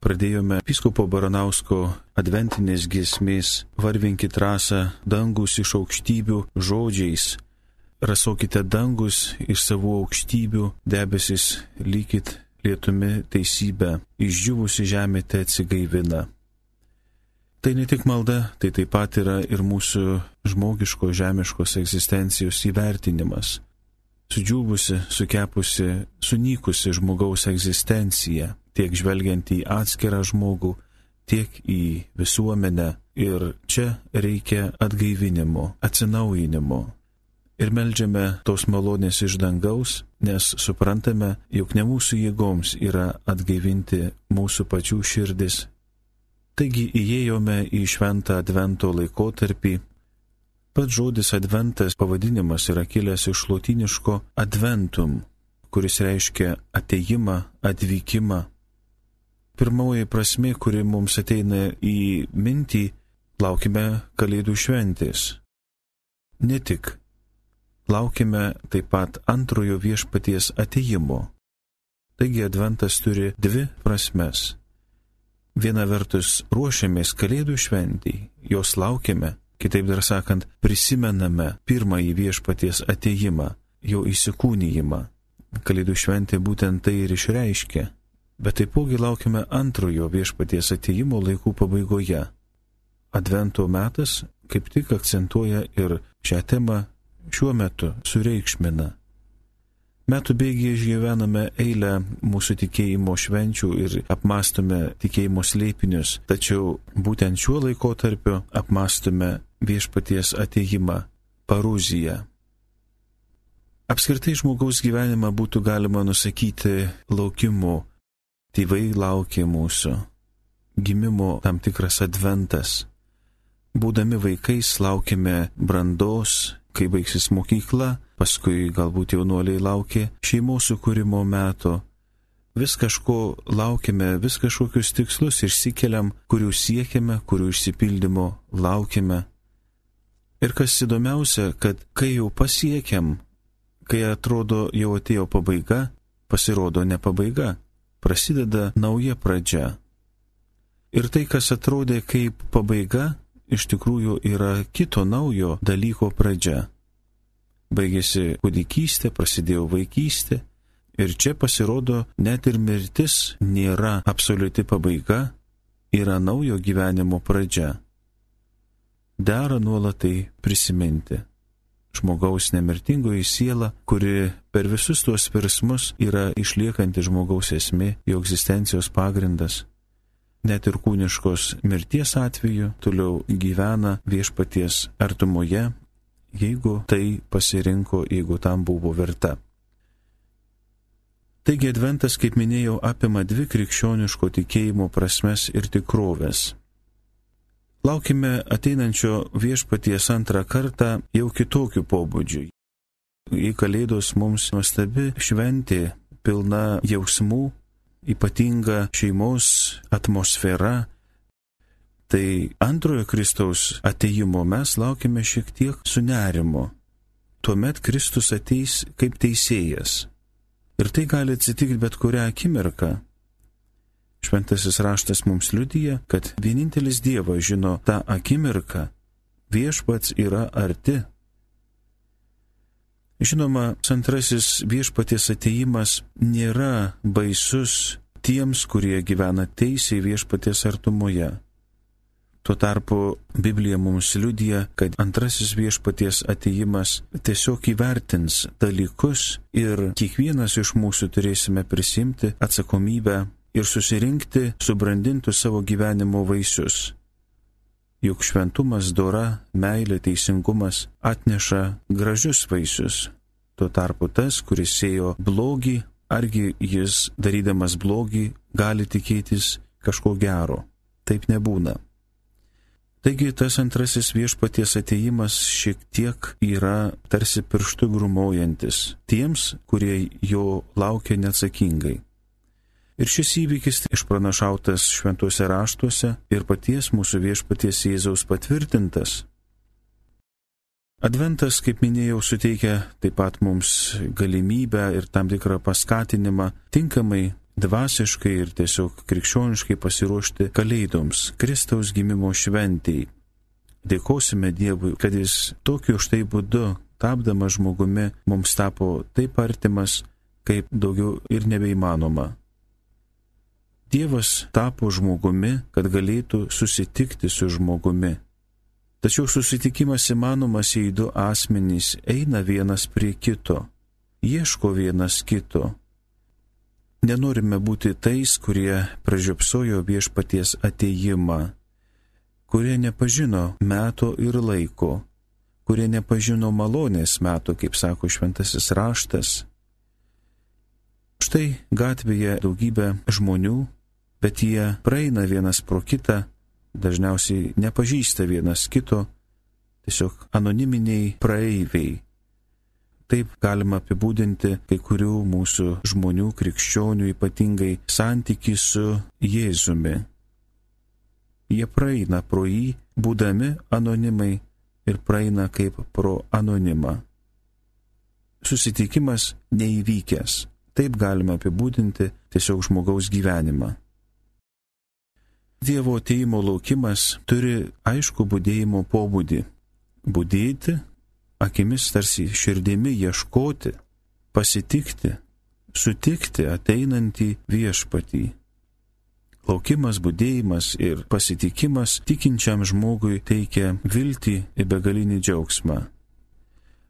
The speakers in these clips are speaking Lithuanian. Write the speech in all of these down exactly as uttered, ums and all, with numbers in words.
pradėjome vyskupo Baranausko adventinės giesmės Varvinkit rasą dangus iš aukštybių žodžiais. Rasokite dangus iš savų aukštybių, debesis lykit lietumi teisybę, išdžiūvusi žemė te atsigaivina. Tai ne tik malda, tai taip pat yra ir mūsų žmogiško žemiškos egzistencijos įvertinimas. Sudžiūvusi, sukepusi, sunykusi žmogaus egzistencija, tiek žvelgiant į atskirą žmogų, tiek į visuomenę. Ir čia reikia atgaivinimo, atsinaujinimo. Ir meldžiame tos malonės iš dangaus, nes suprantame, jog ne mūsų jėgoms yra atgaivinti mūsų pačių širdis. Taigi įėjome į šventą advento laikotarpį. Pats žodis adventas pavadinimas yra kilęs iš lotyniško adventum, kuris reiškia atėjimą, atvykimą. Pirmoji prasmė, kuri mums ateina į mintį, laukime Kalėdų šventės. Ne tik. Laukime taip pat antrojo viešpaties atėjimo. Taigi adventas turi dvi prasmes. Viena vertus ruošiamės Kalėdų šventei, jos laukiame, kitaip dar sakant, prisimename pirmąjį viešpaties atėjimą, jo įsikūnijimą. Kalėdų šventė būtent tai ir išreiškia, bet taipogi laukiame antrojo viešpaties atėjimo laikų pabaigoje. Advento metas kaip tik akcentuoja ir šią temą šiuo metu sureikšmina. Metų bėgyje išgyvename eilę mūsų tikėjimo švenčių ir apmąstome tikėjimo slėpinius, tačiau būtent šiuo laikotarpiu apmąstome viešpaties atėjimą, paruziją. Apskritai žmogaus gyvenimą būtų galima nusakyti laukimu. Tėvai laukia mūsų. Gimimo tam tikras adventas. Būdami vaikais laukime brandos, kai baigsis mokykla, paskui galbūt jaunuoliai laukia šeimos sukūrimo meto. Vis kažko laukime, vis kažkokius tikslus išsikeliam, kurių siekiame, kurių išsipildymo laukime. Ir kas įdomiausia, kad kai jau pasiekiam, kai atrodo jau atėjo pabaiga, pasirodo ne pabaiga, prasideda nauja pradžia. Ir tai, kas atrodė kaip pabaiga, iš tikrųjų yra kito naujo dalyko pradžia. Baigėsi kūdikystė, prasidėjo vaikystė ir čia pasirodo net ir mirtis nėra absoliuti pabaiga, yra naujo gyvenimo pradžia. Dera nuolat tai prisiminti. Žmogaus nemirtingoji siela, kuri per visus tuos virsmus yra išliekanti žmogaus esmė, jo egzistencijos pagrindas. Net ir kūniškos mirties atveju toliau gyvena viešpaties artumoje, jeigu tai pasirinko, jeigu tam buvo verta. Taigi adventas, kaip minėjau, apima dvi krikščioniško tikėjimo prasmes ir tikrovės. Laukime ateinančio viešpaties antrą kartą jau kitokių pobūdžių. Į Kalėdos mums nuostabi šventė, pilna jausmų, ypatinga šeimos atmosfera. Tai antrojo Kristaus atėjimo mes laukime šiek tiek su nerimu. Tuomet Kristus ateis kaip teisėjas. Ir tai gali atsitikti bet kurią akimirką. Šventasis raštas mums liudija, kad vienintelis Dievas žino tą akimirką, viešpats yra arti. Žinoma, antrasis viešpaties atėjimas nėra baisus tiems, kurie gyvena teisiai viešpaties artumoje. Tuo tarpu Biblija mums liudija, kad antrasis viešpaties atėjimas tiesiog įvertins dalykus ir kiekvienas iš mūsų turėsime prisimti atsakomybę ir susirinkti subrandintų savo gyvenimo vaisius. Juk šventumas, dora, meilė, teisingumas atneša gražius vaisius. Tuo tarpu tas, kuris sėjo blogį, argi jis, darydamas blogį, gali tikėtis kažko gero. Taip nebūna. Taigi tas antrasis viešpaties atėjimas šiek tiek yra tarsi pirštų grūmojantis tiems, kurie jo laukia neatsakingai. Ir šis įvykis išpranašautas šventuose raštuose ir paties mūsų viešpaties Jėzaus patvirtintas. Adventas, kaip minėjau, suteikia taip pat mums galimybę ir tam tikrą paskatinimą tinkamai dvasiškai ir tiesiog krikščioniškai pasiruošti kalėdoms, Kristaus gimimo šventei. Dėkosime Dievui, kad Jis tokiu štai būdu, tapdamas žmogumi, mums tapo taip artimas, kaip daugiau ir nebeįmanoma. Dievas tapo žmogumi, kad galėtų susitikti su žmogumi. Tačiau susitikimas įmanomas, jei du asmenys eina vienas prie kito, ieško vienas kito. Nenorime būti tais, kurie pražiopsojo viešpaties atėjimą, kurie nepažino meto ir laiko, kurie nepažino malonės meto, kaip sako šventasis raštas. Štai gatvėje daugybė žmonių, bet jie praeina vienas pro kitą, dažniausiai nepažįsta vienas kito, tiesiog anoniminiai praeiviai. Taip galima apibūdinti kai kurių mūsų žmonių, krikščionių, ypatingai santykį su Jėzumi. Jie praeina pro jį, būdami anonimai, ir praeina kaip pro anonimą. Susitikimas neįvykęs. Taip galima apibūdinti tiesiog žmogaus gyvenimą. Dievo atėjimo laukimas turi aišku budėjimo pobūdį. Budėti, akimis tarsi širdimi ieškoti, pasitikti, sutikti ateinantį viešpatį. Laukimas, budėjimas ir pasitikimas tikinčiam žmogui teikia viltį ir begalinį džiaugsmą.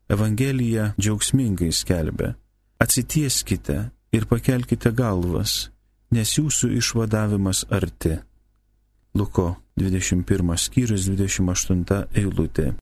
Evangelija džiaugsmingai skelbia: atsitieskite ir pakelkite galvas, nes jūsų išvadavimas arti. Luko dvidešimt pirmas skyrius, dvidešimt aštunta eilutė.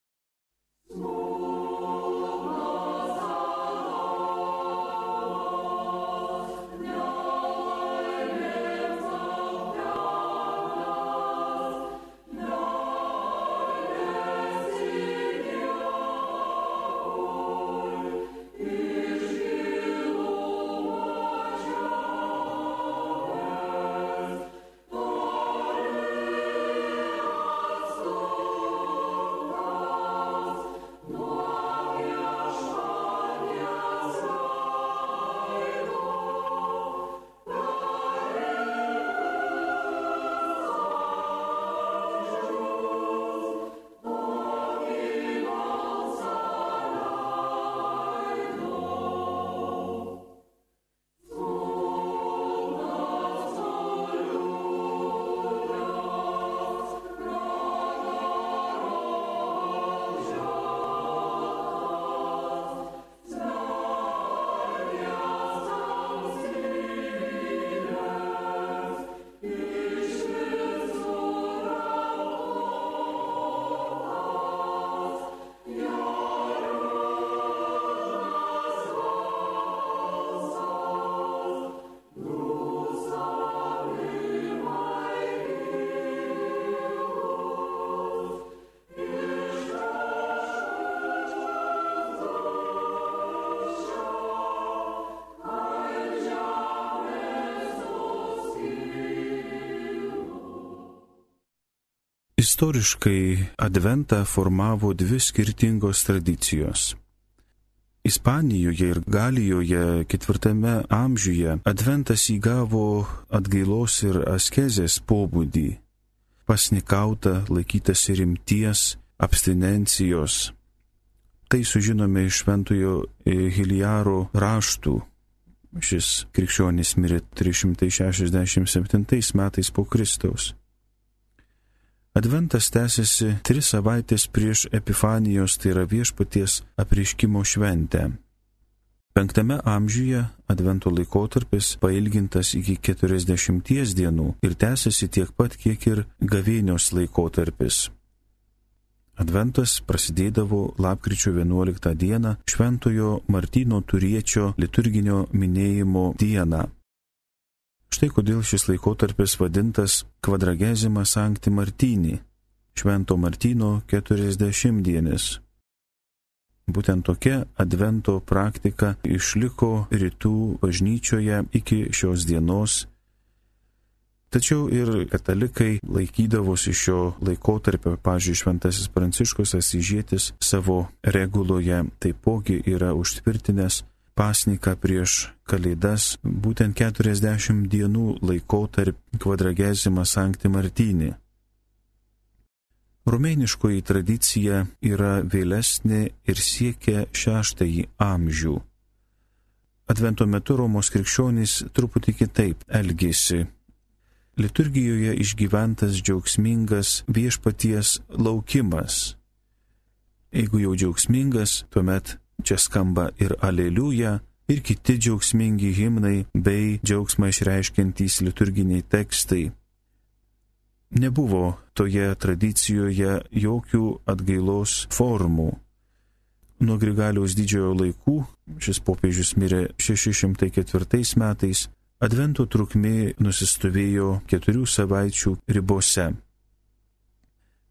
Istoriškai adventą formavo dvi skirtingos tradicijos. Ispanijoje ir Galijoje ketvirtame amžiuje adventas įgavo atgailos ir askezės pobūdį. Pasnikauta, laikytasi rimties, abstinencijos. Tai sužinome iš šventojo Hiliaro raštų. Šis krikščionis mirė trys šimtai šešiasdešimt septintais metais po Kristaus. Adventas tęsiasi tris savaitės prieš Epifanijos, tai yra viešpaties apreiškimo šventę. Penktame amžiuje advento laikotarpis pailgintas iki keturiasdešimties dienų ir tęsiasi tiek pat, kiek ir gavėnios laikotarpis. Adventas prasidėdavo lapkričio vienuoliktą dieną, šventojo Martyno Turiečio liturginio minėjimo dieną. Štai kodėl šis laikotarpis vadintas Quadragesima Sancti Martini, Švento Martyno keturiasdešimtdienis. Būtent tokia advento praktika išliko rytų bažnyčioje iki šios dienos. Tačiau ir katalikai laikydavosi šio laikotarpio, pavyzdžiui, šventasis Pranciškus Asyžietis savo reguloje taipogi yra užtvirtinęs pasniką prieš Kalėdas, būtent keturiasdešimt dienų laikotarp Quadragesima Sancti Martini. Rumėniškoji tradicija yra vėlesnė ir siekia šeštąjį amžių. Advento metu Romos krikščionys truputį kitaip elgėsi. Liturgijoje išgyventas džiaugsmingas viešpaties laukimas. Jeigu jau džiaugsmingas, tuomet čia skamba ir Aleliuja, ir kiti džiaugsmingi himnai bei džiaugsmą išreiškiantys liturginiai tekstai. Nebuvo toje tradicijoje jokių atgailos formų. Nuo Grigaliaus didžiojo laikų, šis popiežius mirė šeši šimtai ketvirtais metais, Advento trukmė nusistovėjo keturių savaičių ribose.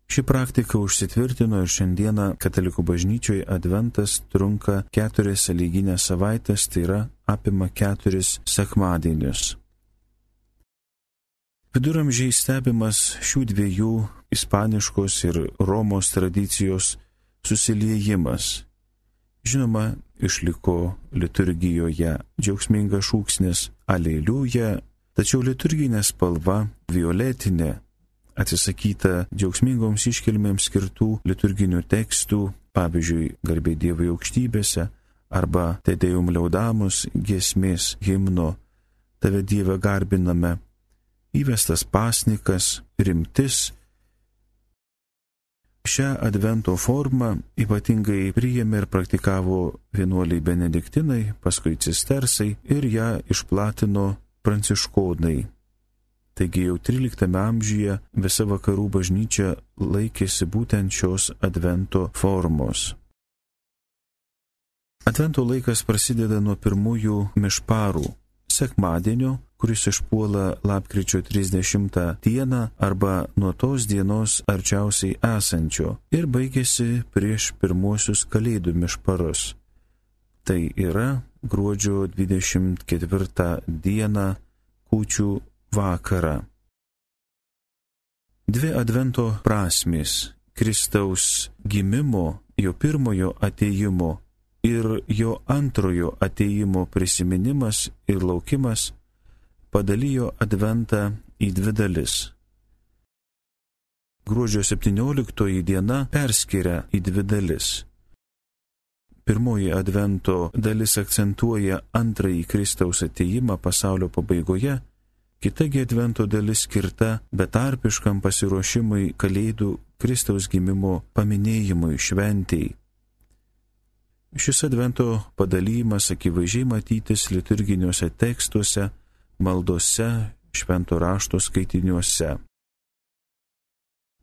Ši praktika užsitvirtino ir šiandieną katalikų bažnyčioje Adventas trunka keturias sąlyginės savaitės, tai yra apima keturis sekmadienius. Viduramžiais stebimas šių dviejų ispaniškos ir Romos tradicijos susiliejimas. Žinoma, išliko liturgijoje džiaugsmingas šūksnis Aleliuja, tačiau liturginė spalva violetinė, atsisakyta džiaugsmingoms iškilmėms skirtų liturginių tekstų, pavyzdžiui, Garbė Dievui aukštybėse arba Te Deum Laudamus giesmės himno Tave Dieve garbiname, įvestas pasnikas, rimtis. Šią Advento formą ypatingai priėmė ir praktikavo vienuoliai benediktinai, paskui cistersai ir ją išplatino pranciškonai. Taigi jau tryliktame amžiuje visa vakarų bažnyčia laikėsi būtent šios Advento formos. Advento laikas prasideda nuo pirmųjų mišparų, sekmadienio, kuris išpuola lapkričio trisdešimtą dieną arba nuo tos dienos arčiausiai esančio ir baigėsi prieš pirmuosius Kalėdų mišparus. Tai yra gruodžio dvidešimt ketvirtą dieną kūčių vakarą. Dvi Advento prasmės - Kristaus gimimo, jo pirmojo atėjimo ir jo antrojo atėjimo prisiminimas ir laukimas padalijo Adventą į dvi dalis. Gruodžio septynioliktoji diena perskiria į dvi dalis. Pirmoji Advento dalis akcentuoja antrąjį Kristaus atėjimą pasaulio pabaigoje, kitagi Advento dalis skirta betarpiškam pasiruošimui Kalėdų Kristaus gimimo paminėjimui šventei. Šis Advento padalymas akivaizdžiai matytis liturginiuose tekstuose, maldose, švento rašto skaitiniuose.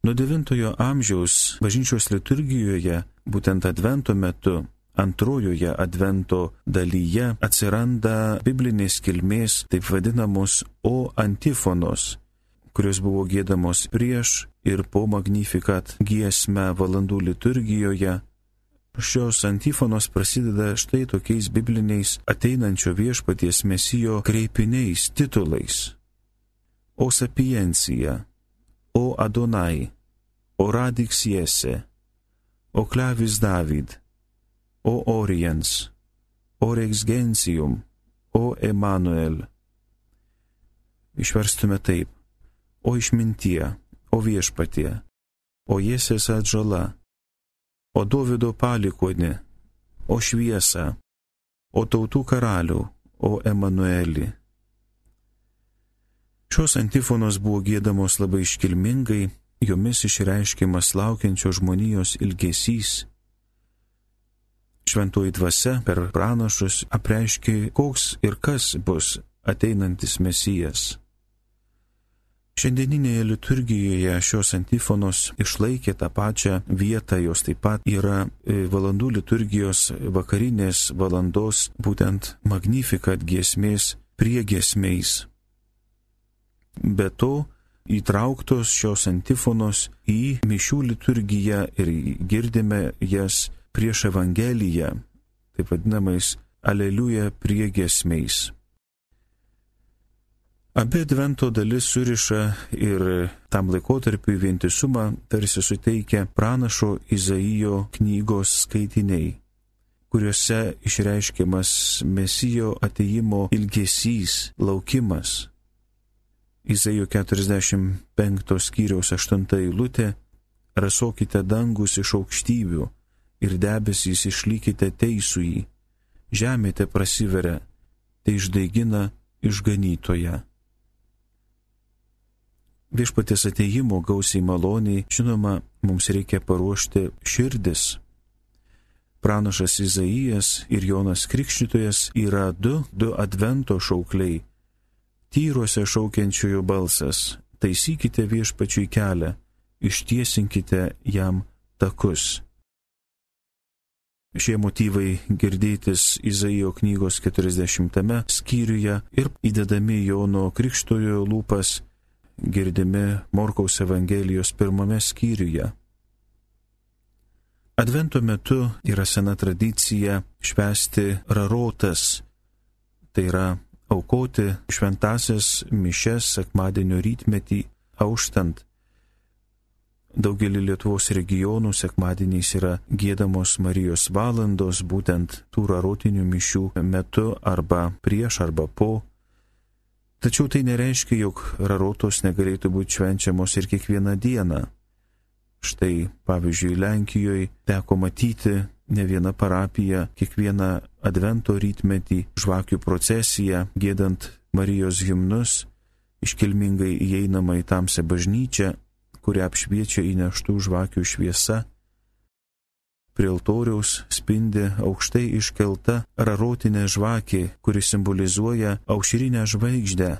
Nuo devintojo amžiaus bažnyčios liturgijoje, būtent Advento metu, antrojoje Advento dalyje atsiranda biblinės kilmės taip vadinamos O antifonos, kurios buvo giedamos prieš ir po Magnificat giesmę valandų liturgijoje. Šios antifonos prasideda štai tokiais bibliniais ateinančio viešpaties Mesijo kreipiniais titulais. O sapiencija, o Adonai, o radix Jese, o clavis David, o Oriens, o rex gentium, o Emanuel. Išverstume taip: o išmintie, o viešpatie, o Jesės atžala, o Dovydo palikuonė, o šviesa, o tautų karalių, o Emanuelį. Šios antifonos buvo giedamos labai iškilmingai, jomis išreiškiamas laukiančio žmonijos ilgesys. Šventoji dvasia per pranašus apreiškė, koks ir kas bus ateinantis Mesijas. Šiandieninėje liturgijoje šios antifonos išlaikė tą pačią vietą, jos taip pat yra valandų liturgijos vakarinės valandos, būtent Magnificat giesmės priegiesmiais. Be to, įtrauktos šios antifonos į mišių liturgiją ir girdime jas prieš Evangeliją, taip vadinamais Aleliuja priegiesmiais. Abi Advento dalis suriša ir tam laikotarpiui vientisumą tarsi suteikia pranašo Izaijo knygos skaitiniai, kuriuose išreiškiamas Mesijo atėjimo ilgesys, laukimas. Izaijo keturiasdešimt penkto skyriaus aštunta eilutė: rasokite dangus iš aukštybių ir debesys išlykite teisųjį, žemė te prasiveria, te išdaigina išganytoją. Viešpaties atėjimo gausiai maloniai, žinoma, mums reikia paruošti širdis. Pranašas Izaijas ir Jonas Krikštytojas yra du, du advento šaukliai. Tyruose šaukiančiųjų balsas: taisykite viešpačiui kelią, ištiesinkite jam takus. Šie motyvai girdėtis Izaijo knygos keturiasdešimtame skyriuje ir įdedami Jono Krikštytojo lūpas girdimi Morkaus Evangelijos pirmame skyriuje. Advento metu yra sena tradicija švęsti rarotas, tai yra aukoti šventąsias mišias sekmadienio rytmetį auštant. Daugelį Lietuvos regionų sekmadieniais yra giedamos Marijos valandos būtent tų rarotinių mišių metu arba prieš arba po. Tačiau tai nereiškia, jog rarotos negalėtų būti švenčiamos ir kiekvieną dieną. Štai, pavyzdžiui, Lenkijoje teko matyti ne vieną parapiją kiekvieną advento rytmetį žvakių procesiją, giedant Marijos himnus, iškilmingai įeinama į tamsią bažnyčią, kurią apšviečia įneštų žvakių šviesa. Prie altoriaus spindi aukštai iškelta rarotinė žvakė, kuri simbolizuoja aušrinę žvaigždę,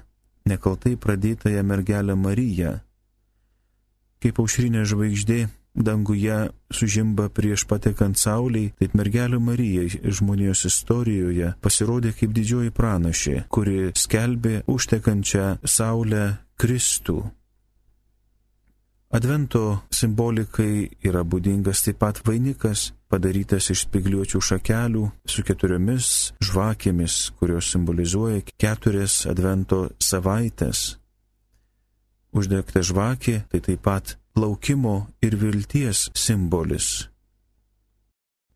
nekaltai pradėtąją mergelę Mariją. Kaip aušrinė žvaigždė danguje sužimba prieš patekant saulei, taip mergelė Marija žmonijos istorijoje pasirodė kaip didžioji pranašė, kuri skelbė užtekančią saulę Kristų. Advento simbolikai yra būdingas taip pat vainikas, padarytas iš spygliuočių šakelių su keturiomis žvakėmis, kurios simbolizuoja keturias advento savaitės. Uždegta žvakė tai taip pat laukimo ir vilties simbolis.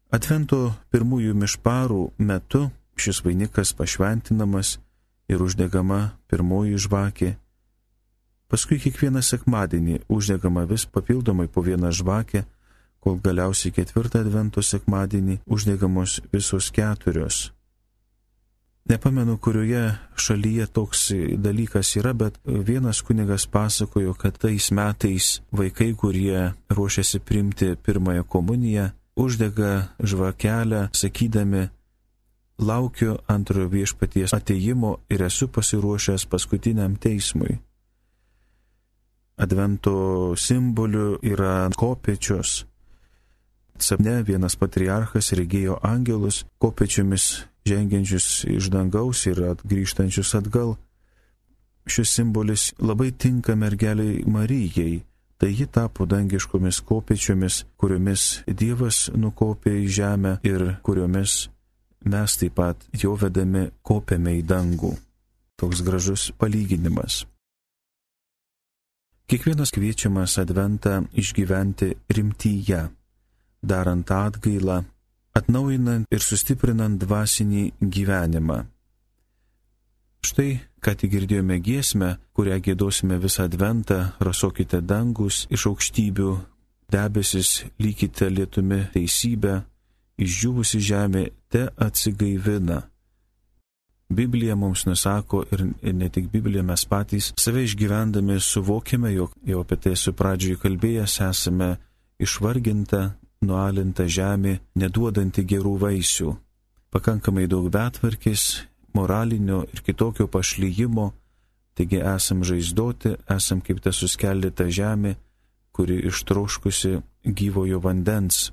Advento pirmųjų mišparų metu šis vainikas pašventinamas ir uždegama pirmoji žvakė. Paskui kiekvieną sekmadienį uždegama vis papildomai po vieną žvakę, kol galiausiai ketvirtą advento sekmadienį uždegamos visos keturios. Nepamenu, kurioje šalyje toks dalykas yra, bet vienas kunigas pasakojo, kad tais metais vaikai, kurie ruošiasi priimti pirmąją komuniją, uždega žvakelę, sakydami: laukiu antrojo viešpaties atėjimo ir esu pasiruošęs paskutiniam teismui. Advento simboliu yra kopėčios. Sapne vienas patriarchas regėjo angelus kopėčiomis žengiančius iš dangaus ir grįžtančius atgal. Šis simbolis labai tinka mergeliai Marijai, tai ji tapo dangiškomis kopėčiomis, kuriomis Dievas nukopė į žemę ir kuriomis mes taip pat jo vedami kopėme į dangų. Toks gražus palyginimas. Kiekvienas kviečiamas adventą išgyventi rimtyje, darant atgailą, atnaujinant ir sustiprinant dvasinį gyvenimą. Štai, ką tik girdėjome giesmę, kurią giedosime visą adventą: rasokite dangus iš aukštybių, debesis lykite lietumi teisybę, išdžiūvusi žemė te atsigaivina. Biblija mums nusako ir ne tik Biblija, mes patys save išgyvendami suvokime, jog jau apie tai esu pradžioje kalbėjęs, esame išvarginta, nualinta žemė, neduodanti gerų vaisių. Pakankamai daug betvarkės, moralinio ir kitokio pašlyjimo, taigi esam žaizdoti, esam kaip ta suskeldyta žemė, kuri ištroškusi gyvojo vandens.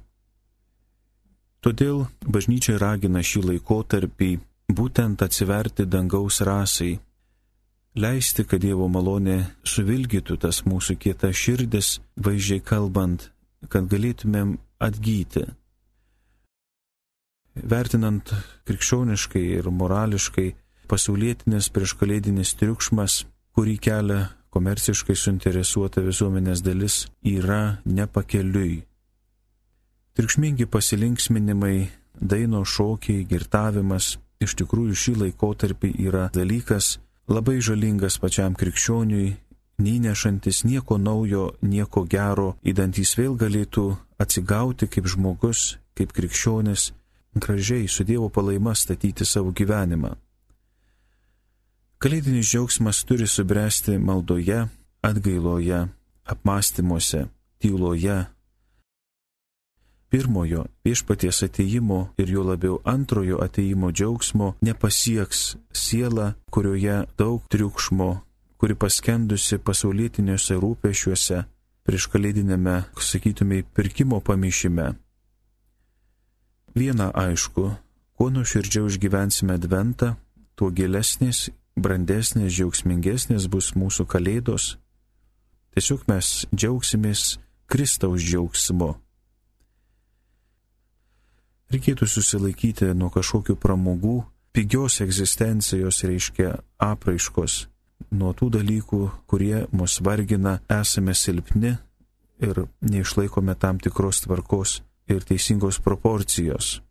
Todėl bažnyčia ragina šį laikotarpį būtent atsiverti dangaus rasai, leisti, kad Dievo malonė suvilgytų tas mūsų kietas širdis, vaizdžiai kalbant, kad galėtumėm atgyti. Vertinant krikščioniškai ir morališkai, pasaulietinis prieškalėdinis triukšmas, kurį kelia komerciškai suinteresuota visuomenės dalis, yra nepakeliui. Triukšmingi pasilinksminimai daino, šokiai, girtavimas. Iš tikrųjų šį laikotarpį yra dalykas labai žalingas pačiam krikščioniui, neįnešantis nieko naujo, nieko gero, įdantys vėl galėtų atsigauti kaip žmogus, kaip krikščionis, gražiai su Dievo palaima statyti savo gyvenimą. Kalėdinis džiaugsmas turi subręsti maldoje, atgailoje, apmąstymuose, tyloje. Pirmojo viešpaties atėjimo ir jo labiau antrojo atėjimo džiaugsmo nepasieks siela, kurioje daug triukšmo, kuri paskendusi pasaulietiniuose rūpesčiuose, prieš kalėdinėme, sakytumai, pirkimo pamišime. Viena aišku, kuo nuoširdžiau išgyvensime adventą, tuo gilesnės, brandesnės, džiaugsmingesnės bus mūsų kalėdos. Tiesiog mes džiaugsimės Kristaus džiaugsmu. Reikėtų susilaikyti nuo kažkokių pramogų, pigios egzistencijos reiškia apraiškos, nuo tų dalykų, kurie mus vargina, esame silpni ir neišlaikome tam tikros tvarkos ir teisingos proporcijos.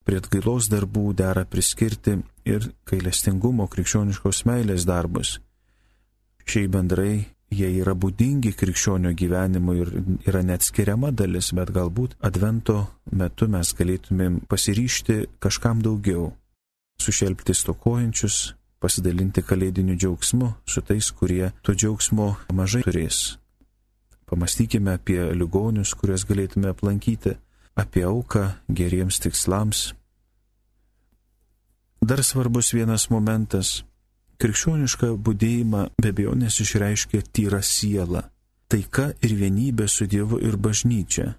Prie atgailos darbų dera priskirti ir gailestingumo krikščioniškos meilės darbus. Šiai bendrai jie yra būdingi krikščionio gyvenimui ir yra neatskiriama dalis, bet galbūt advento metu mes galėtumėm pasiryžti kažkam daugiau, sušelpti stokojančius, pasidalinti kalėdiniu džiaugsmu su tais, kurie to džiaugsmo mažai turės. Pamastykime apie ligonius, kuriuos galėtume aplankyti, apie auką geriems tikslams. Dar svarbus vienas momentas. Krikščionišką budėjimą be abejonės išreiškia tyra siela, taika ir vienybė su Dievu ir bažnyčia.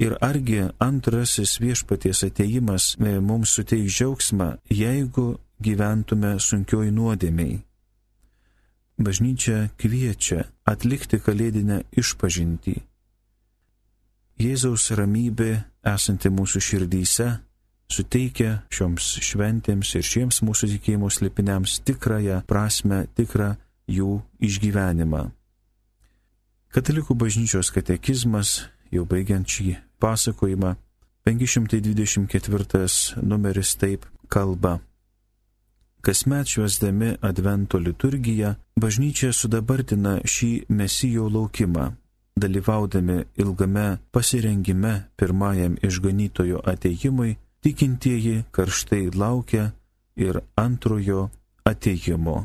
Ir argi antrasis viešpaties atėjimas mums suteiks džiaugsmą, jeigu gyventume sunkioj nuodėmei. Bažnyčia kviečia atlikti kalėdinę išpažintį. Jėzaus ramybė esanti mūsų širdyse suteikia šioms šventėms ir šiems mūsų tikėjimo slėpiniams tikrąją prasme, tikrą jų išgyvenimą. Katalikų bažnyčios katekizmas, jau baigiant šį pasakojimą, penki šimtai dvidešimt ketvirtas numeris taip kalba. Kasmet švęsdami Advento liturgiją, bažnyčia sudabartina šį Mesijo laukimą, dalyvaudami ilgame pasirengime pirmajam išganytojo atėjimui. Tikintieji karštai laukia ir antrojo atėjimo.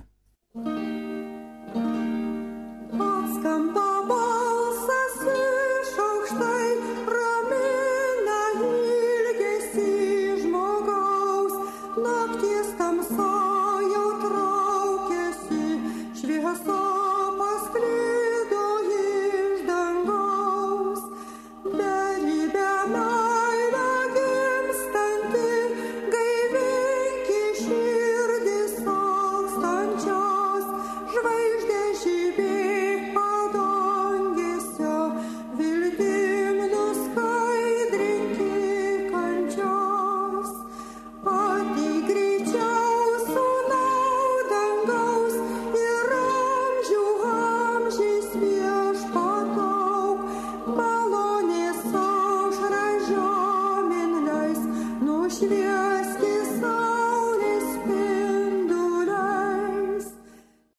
Świat.